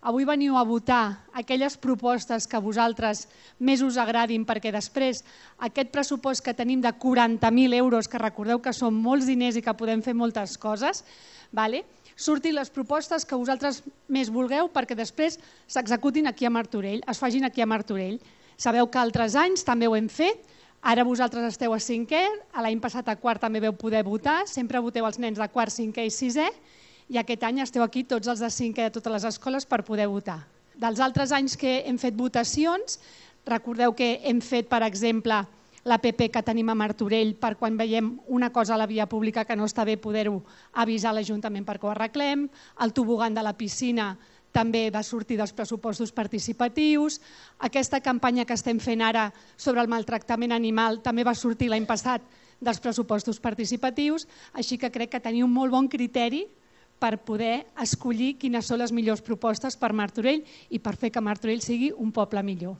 avui veniu a votar aquelles propostes que a vosaltres més us agradin, perquè després aquest pressupost que tenim de 40.000 euros, que recordeu que són molts diners i que podem fer moltes coses, surtin les propostes que vosaltres més vulgueu perquè després s'executin aquí a Martorell, es facin aquí a Martorell. Sabeu que altres anys també ho hem fet, ara vosaltres esteu a 5è, l'any passat a 4 també vau poder votar, sempre voteu els nens de 4, 5è i 6è, i aquest any esteu aquí tots els de 5è de totes les escoles per poder votar. Dels altres anys que hem fet votacions, recordeu que hem fet, per exemple, l'APP que tenim a Martorell per quan veiem una cosa a la via pública que no està bé poder-ho avisar a l'Ajuntament perquè ho arreglem, el tobogan de la piscina també va sortir dels pressupostos participatius, aquesta campanya que estem fent ara sobre el maltractament animal també va sortir l'any passat dels pressupostos participatius, així que crec que teniu un molt bon criteri per poder escollir quines són les millors propostes per Martorell i per fer que Martorell sigui un poble millor.